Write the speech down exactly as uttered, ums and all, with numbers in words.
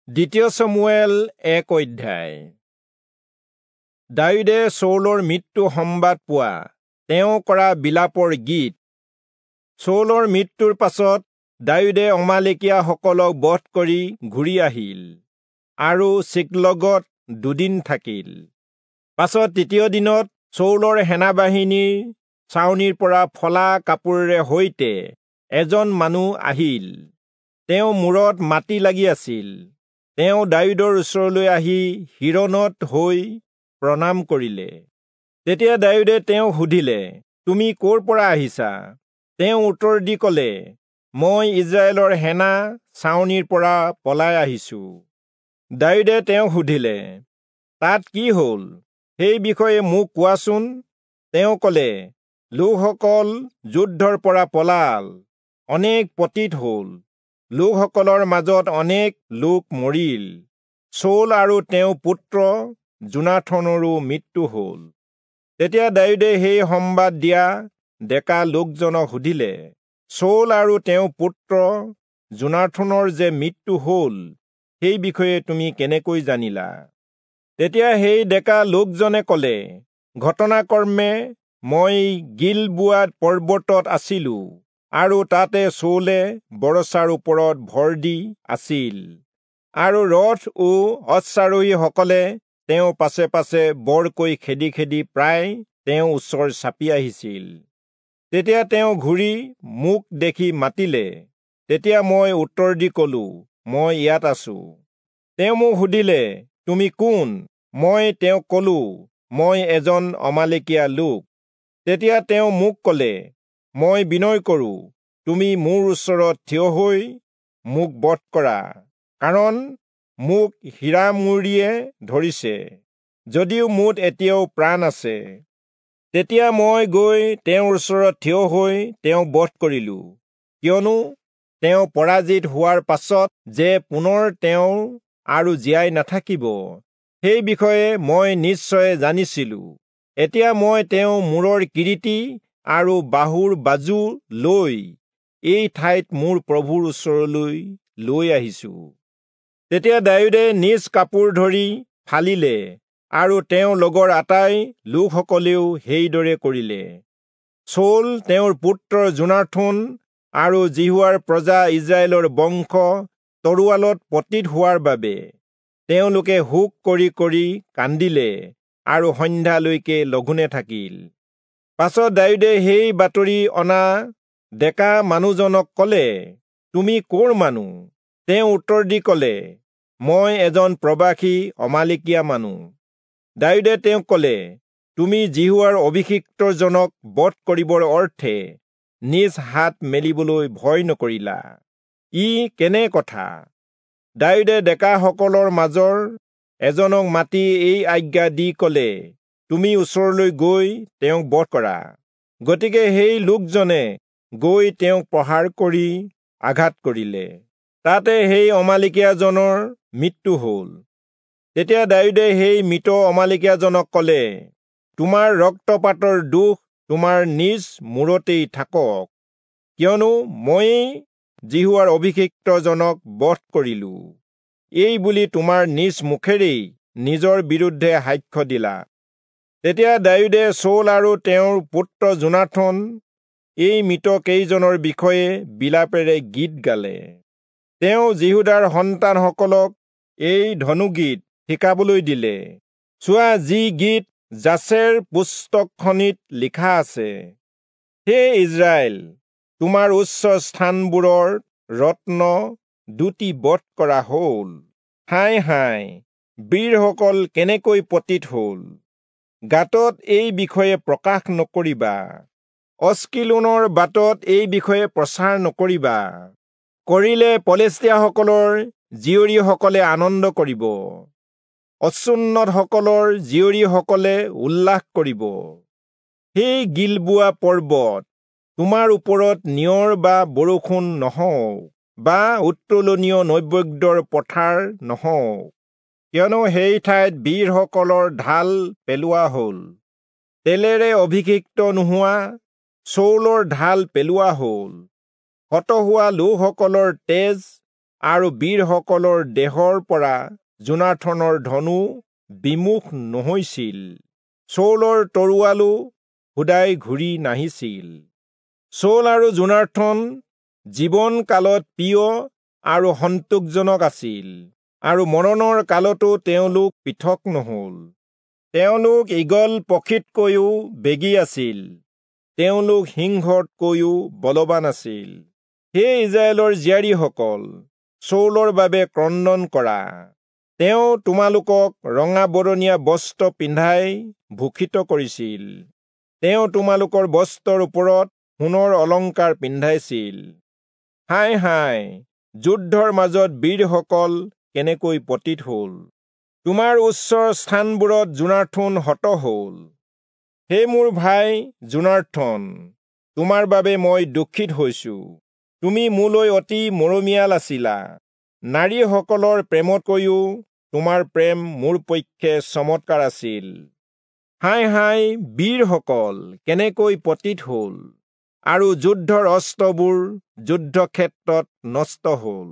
দ্বিতীয় চমূৱেল এক অধ্যায়। দায়ূদে চৌলৰ মৃত্যু সম্বাদ পোৱা তেওঁ কৰা বিলাপৰ গীত। চৌলৰ মৃত্যুৰ পাছত দায়ূদে অমালেকীয়াসকলক বধ কৰি ঘূৰি আহিল আৰু চিকলগত দুদিন থাকিল। পাছত তৃতীয় দিনত চৌলৰ সেনাবাহিনীৰ ছাউনিৰ পৰা ফলা কাপোৰেৰে সৈতে এজন মানুহ আহিল। তেওঁ মূৰত মাটি লাগি আছিল। তেওঁ দায়ূদৰ ওচৰলৈ আহি শিৰণত হৈ প্ৰণাম কৰিলে। তেতিয়া দায়ূদে তেওঁক সুধিলে, তুমি ক'ৰ পৰা আহিছা? তেওঁ উত্তৰ দি ক'লে, মই ইজৰাইলৰ সেনা ছাউনিৰ পৰা পলাই আহিছো। দায়ূদে তেওঁক সুধিলে, তাত কি হ'ল, সেই বিষয়ে মোক কোৱাচোন। তেওঁ ক'লে, লোকসকল যুদ্ধৰ পৰা পলাল, অনেক পতিত হ'ল, লোকসকলৰ মাজত অনেক লোক মৰিল। চৌল আৰু তেওঁৰ পুত্ৰ যোনাথনৰো মৃত্যু হ'ল। তেতিয়া দায়ূদে সেই সম্বাদ দিয়া ডেকা লোকজনক সুধিলে, চৌল আৰু তেওঁৰ পুত্ৰ যোনাথনৰ যে মৃত্যু হ'ল, সেই বিষয়ে তুমি কেনেকৈ জানিলা? তেতিয়া সেই ডেকা লোকজনে ক'লে, ঘটনাক্ৰমে মই গিলবোৱা পৰ্বতত আছিলো আৰু তাতে চৌলে বৰছাৰ ওপৰত ভৰ দি আছিল আৰু ৰথ ও অশ্বাৰোহীসকলে তেওঁ পাছে পাছে বৰকৈ খেদি খেদি প্ৰায় তেওঁ ওচৰ চাপি আহিছিল। তেতিয়া তেওঁ ঘূৰি মোক দেখি মাতিলে। তেতিয়া মই উত্তৰ দি ক'লো, মই ইয়াত আছো। তেওঁ মোক সুধিলে, তুমি কোন? মই তেওঁক ক'লো, মই এজন অমালেকীয়া লোক। তেতিয়া তেওঁ মোক ক'লে, মই বিনয় কৰোঁ, তুমি মোৰ ওচৰত থিয় হৈ মোক বধ কৰা, কাৰণ মোক হীৰামূৰীয়ে ধৰিছে, যদিও মোত এতিয়াও প্ৰাণ আছে। তেতিয়া মই গৈ তেওঁৰ ওচৰত থিয় হৈ তেওঁক বধ কৰিলো, কিয়নো তেওঁ পৰাজিত হোৱাৰ পাছত যে পুনৰ তেওঁ আৰু জীয়াই নাথাকিব, সেই বিষয়ে মই নিশ্চয় জানিছিলো। এতিয়া মই তেওঁ মূৰৰ কিৰীটি আৰু বাহুৰ বাজু লৈ এই ঠাইত মোৰ প্ৰভুৰ ওচৰলৈ লৈ আহিছো। তেতিয়া দায়ূদে নিজ কাপোৰ ধৰি ফালিলে আৰু তেওঁৰ লগৰ আটাই লোকসকলেও সেইদৰে কৰিলে। চৌল, তেওঁৰ পুত্ৰ যোনাথন আৰু যিহোৱাৰ প্ৰজা ইজৰাইলৰ বংশ তৰোৱালত পতিত হোৱাৰ বাবে তেওঁলোকে শোক কৰি কৰি কান্দিলে আৰু সন্ধ্যালৈকে লঘোণে থাকিল। পাছত দায়ূদে সেই বাতৰি অনা ডেকা মানুহজনক ক'লে, তুমি ক'ৰ মানুহ? তেওঁ উত্তৰ দি ক'লে, মই এজন প্ৰবাসী অমালেকীয়া মানুহ। দায়ূদে তেওঁক ক'লে, তুমি যিহোৱাৰ অভিষিক্তজনক বধ কৰিবৰ অৰ্থে নিজ হাত মেলিবলৈ ভয় নকৰিলা, ই কেনে কথা? দায়ূদে ডেকাসকলৰ মাজৰ এজনক মাতি এই আজ্ঞা দি ক'লে, তুমি ওচৰলৈ গৈ তেওঁক বধ কৰা। গতিকে সেই লোকজনে গৈ তেওঁক প্ৰহাৰ কৰি আঘাত কৰিলে। তাতে সেই অমালেকীয়াজনৰ মৃত্যু হ'ল। তেতিয়া দায়ূদে সেই মৃত অমালেকীয়াজনক ক'লে, তোমাৰ ৰক্তপাতৰ দোষ তোমাৰ নিজ মূৰতেই থাকক, কিয়নো ময়েই যিহোৱাৰ অভিষিক্তজনক বধ কৰিলো। এই বুলি তোমাৰ নিজ মুখেৰেই নিজৰ বিৰুদ্ধে সাক্ষ্য দিলা। তেতিয়া দায়ূদে চৌল আৰু তেওঁৰ পুত্ৰ যোনাথন এই মৃত কেইজনৰ বিষয়ে বিলাপেৰে গীত গালে। তেওঁ যিহূদাৰ সন্তানসকলক এই ধনুগীত শিকাবলৈ দিলে, চোৱা, যি গীত যাচেৰ পুস্তকখনিত লিখা আছে। হে ইজৰাইল, তোমাৰ উচ্চ স্থানবোৰৰ ৰত্ন দুটি বধ কৰা হ'ল। হায় হায়, বীৰসকল কেনেকৈ পতিত হ'ল! গাতত এই বিষয়ে প্ৰকাশ নকৰিবা, অস্কিলোনৰ বাটত এই বিষয়ে প্ৰচাৰ নকৰিবা। কৰিলে পলেষ্টীয়াসকলৰ জীয়ৰীসকলে আনন্দ কৰিব, অচুন্নতসকলৰ জীয়ৰীসকলে উল্লাস কৰিব। সেই গিলবোৱা পৰ্বত, তোমাৰ ওপৰত নিয়ৰ বা বৰষুণ নহওক বা উত্তোলনীয় নৈবেদ্যৰ পথাৰ নহওক, কিয়নো সেই ঠাইত বীৰসকলৰ ঢাল পেলোৱা হ'ল, তেলেৰে অভিষিক্ত নোহোৱা চৌলৰ ঢাল পেলোৱা হ'ল। হত হোৱা লোকসকলৰ তেজ আৰু বীৰসকলৰ দেহৰ পৰা যোনাথনৰ ধনু বিমুখ নহৈছিল। চৌলৰ তৰোৱালো সুদাই ঘূৰি নাহিছিল। চৌল আৰু যোনাথন জীৱন কালত প্ৰিয় আৰু সন্তোষজনক আছিল, আৰু মৰণৰ কালতো তেওঁলোক পৃথক নহল। তেওঁলোক ঈগল পক্ষীতকৈও বেগী আছিল, তেওঁলোক সিংহতকৈও বলৱান আছিল। হে ইস্ৰায়েলৰ জীয়াৰীসকল, চৌলৰ বাবে ক্ৰন্দন কৰা। তেওঁ তোমালোকক ৰঙা বৰণীয়া বস্ত্ৰ পিন্ধাই ভূষিত কৰিছিল, তেওঁ তোমালোকৰ বস্ত্ৰৰ ওপৰত সোণৰ অলংকাৰ পিন্ধাইছিল। হায় হায়, যুদ্ধৰ মাজত বীৰসকল কেনেকৈ পতিত হল! তোমাৰ উচ্চ স্থানবোৰত যোনাথন হত হল। হে মোৰ ভাই যোনাথন, তোমাৰ বাবে মই দুখিত হৈছো। তুমি মোলৈ অতি মৰমীয়াল আছিলা। নাৰীসকলৰ প্ৰেমতকৈও তোমাৰ প্ৰেম মোৰ পক্ষে চমৎকাৰ আছিল। হায় হায়, বীৰসকল কেনেকৈ পতিত হল, আৰু যুদ্ধৰ অস্ত্ৰবোৰ যুদ্ধক্ষেত্ৰত নষ্ট হল!